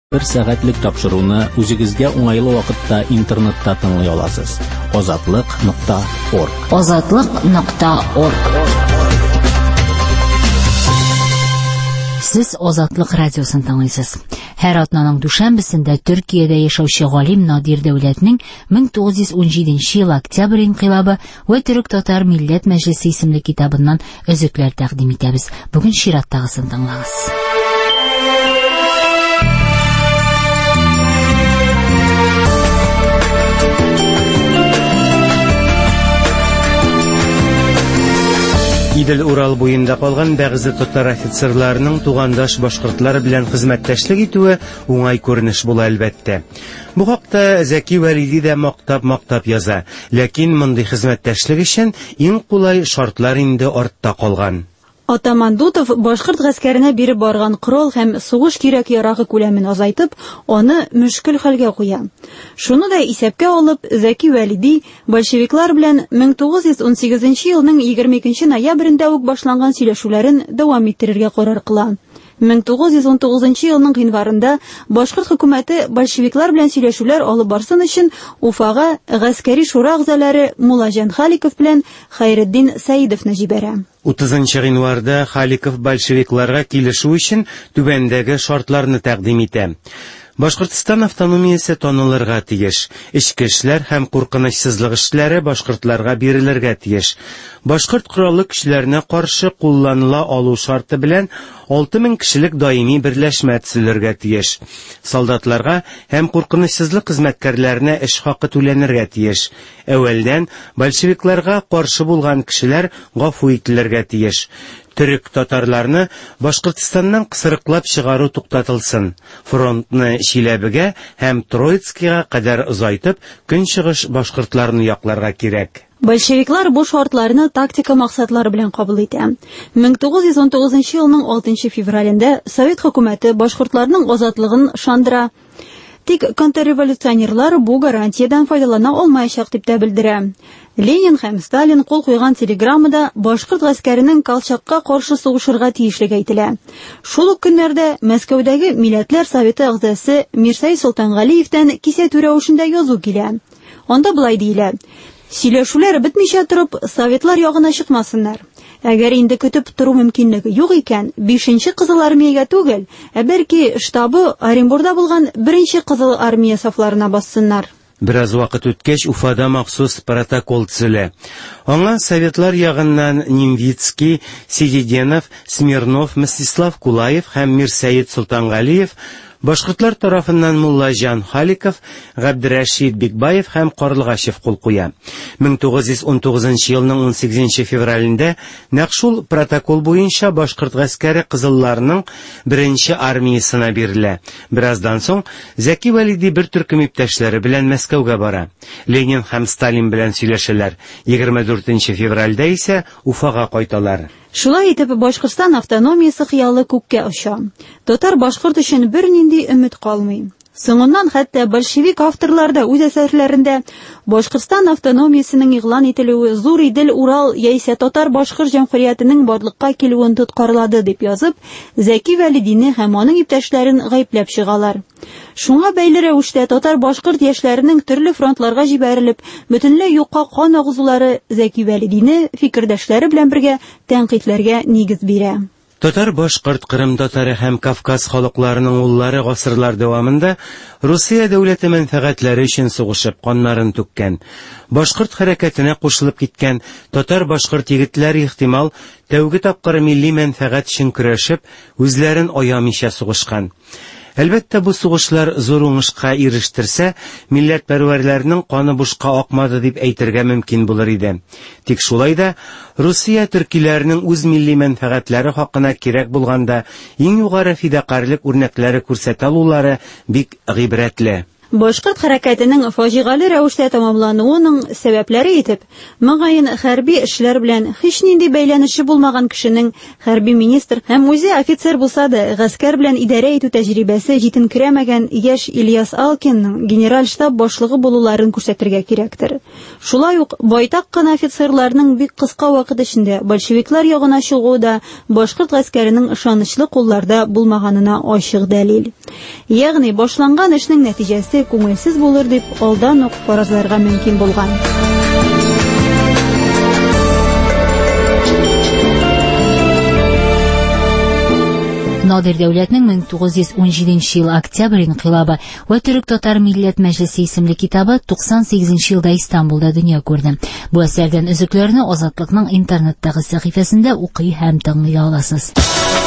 Бер сәгатьлек тапшыруны үзегезгә уңайлы вакытта интернетта тыңлый аласыз. Азатлык.орг. Азатлык.орг. Сез Азатлык радиосын тыңлыйсыз. Һәр атнаның дүшәмбесендә Төркиядә яшәүче галим Надир Дәүләтнең 1917 ел Октябрь инкыйлабы вә Төрек-татар милләт мәҗлесе исемле китабыннан өзекләр тәкъдим итәбез. Бүген чираттагысын тыңлагыз. Идел-Урал буенда калган бәгъзе татар офицерларының тугандаш башкортлар белән хезмәттәшлек итүе уңай күренеш була, әлбәттә. Бу хакта Зәки Вәлиди дә мактап-мактап яза. Ләкин мондый хезмәттәшлек өчен иң кулай шартлар инде артта калган. Атаман Дутов башкорт гаскәренә биреп барган корал һәм сугыш кирәк-ярагы күләмен азайтып, аны мөшкел хәлгә куя. Шуны да исәпкә алып, Зәки Вәлиди большевиклар белән 1918 елның 22 ноябрендә үк башланган сөйләшүләрен дәвам иттерергә карар кыла. 1919 елның гыйнварында башкорт хөкүмәте большевиклар белән сөйләшүләр алып барсын өчен Уфага гаскәри шура әгъзалары Муллаҗан Халиков белән Хәйретдин Сәидовны җибәрә. 30 гыйнварда Халиков большевикларга килешү өчен түбәндәге шартларны тәкъдим итә. Башкортстан автономиясе танылырга тиеш. Эчке эшләр һәм куркынычсызлык эшләре башкортларга бирелергә тиеш. Башкорт кораллы көчләренә каршы кулланыла алу шарты белән 6000 кешелек даими берләшмә төзелергә тиеш. Солдатларга һәм куркынычсызлык хезмәткәрләренә эш хакы түләнергә тиеш. Әүвәлдән большевикларга каршы булган кешеләр гафу ителергә тиеш. Төрек татарларны Башкортстаннан кысрыклап чыгару туктатылсын. Фронтны Чиләбегә һәм Троицкига кадәр озайтып, көнчыгыш башкортларны якларга кирәк. Большевиклар бу шартларны тактика максатлары белән кабул итә. 1919 елның 6 февралендә Совет хөкүмәте башкортларның азатлыгын ышандыра. Тик контрреволюционерлар бу гарантиядән файдалана алмаячак дип тә белдерә. Ленин һәм Сталин кул куйган телеграммада башкорт гаскәренең Колчакка каршы сугышырга тиешлеге әйтелә. Шул ук көннәрдә Мәскәүдәге Милләтләр Советы әгъзасы Мирсәй Солтангалиевтән кисәтү рәвешендә язу килә. Анда болай диелә: Сөйләшүләр бетмичә торып, советлар ягына чыкмасыннар. Әгәр инде көтеп тору мөмкинлеге юк икән, 5-нче Кызыл армиягә түгел, ә бәлки штабы Оренбурда булган 1-нче Кызыл армия сафларына бассыннар. Бераз вакыт үткәч, Уфада махсус протокол төзелә. Аңа советлар ягыннан Нимвицкий, Сидиденов, Смирнов, Мстислав Кулаев һәм Мирсәет Солтангалиев, башкортлар тарафыннан Муллаҗан Халиков, Габдрәшит Бикбаев һәм Карлыгачев кул куя. 1919 елның 18 февралендә нәкъ шул протокол буенча башкорт гаскәре кызылларның беренче армиясенә бирелә. Бераздан соң Зәки Вәлиди бер төркем иптәшләре белән Мәскәүгә бара. Ленин һәм Сталин белән сөйләшәләр. 24 февральдә исә Уфага кайталар. Шулай итеп, Башкортстан автономиясе хыялы күккә оча. Татар-башкорт өчен бернинди өмет калмый. Соңыннан хәтта большевик авторлар да үз әсәрләрендә Башкортстан автономиясенең игълан ителүе Зур Идел-Урал яисә Татар-Башкорт җәмгыятенең барлыкка килүен тоткарлады дип язып, Зәки Вәлидине һәм аның иптәшләрен гаепләп чыгалар. Шуңа бәйле рәвештә татар-башкорт яшьләренең төрле фронтларга җибәрелеп, бөтенләй юкка кан агызулары Зәки Вәлидине фикердәшләре белән бергә тәнкыйтьләргә нигез бирә. Татар, башкорт, кырым татары һәм Кавказ халыкларының уллары гасырлар дәвамында Русия дәүләте мәнфәгатьләре өчен сугышып каннарын түккән. Башкорт хәрәкәтенә кушылып киткән татар-башкорт егетләре ихтимал тәүге тапкыр милли мәнфәгать өчен көрәшеп, үзләрен аямыйча сугышкан. Әлбәттә, бу сугышлар зур уңышка ирештерсә, милләтпәрвәрләрнең каны бушка акмады дип әйтергә мөмкин булыр иде. Тик шулай да Русия төркиләренең үз милли мәнфәгатьләре хакына кирәк булганда иң югары фидакарьлек үрнәкләре күрсәтә алулары бик гыйбрәтле. Башкорт хәрәкәтенең фаҗигале рәвештә тәмамлануының сәбәпләре итеп, мөгаен, хәрби эшләр белән һичнинди бәйләнеше булмаган кешенең хәрби министр һәм үзе офицер булса да, гаскәр белән идарә итү тәҗрибәсе җитенкерәмәгән яшь Ильяс Алкинның генераль штаб башлыгы булуларын күрсәтергә кирәктер. Шулай ук байтак кына офицерларның бик кыска вакыт эчендә большевиклар ягына чыгуы да башкорт гаскәренең ышанычлы кулларда булмаганына ачык дәлил. Ягъни башланган эшнең нәтиҗәсе күңелсез булыр дип алдан ук фаразларга мөмкин булган. Надир Дәүләтнең 1917 ел октябрь инкыйлабы вә Төрек-татар милләт мәҗлесе исемле китабы 98 елда Истанбулда дөнья күрде. Бу әсәрдән өзекләрне Азатлыкның интернеттагы сәхифәсендә укый һәм тыңлый аласыз.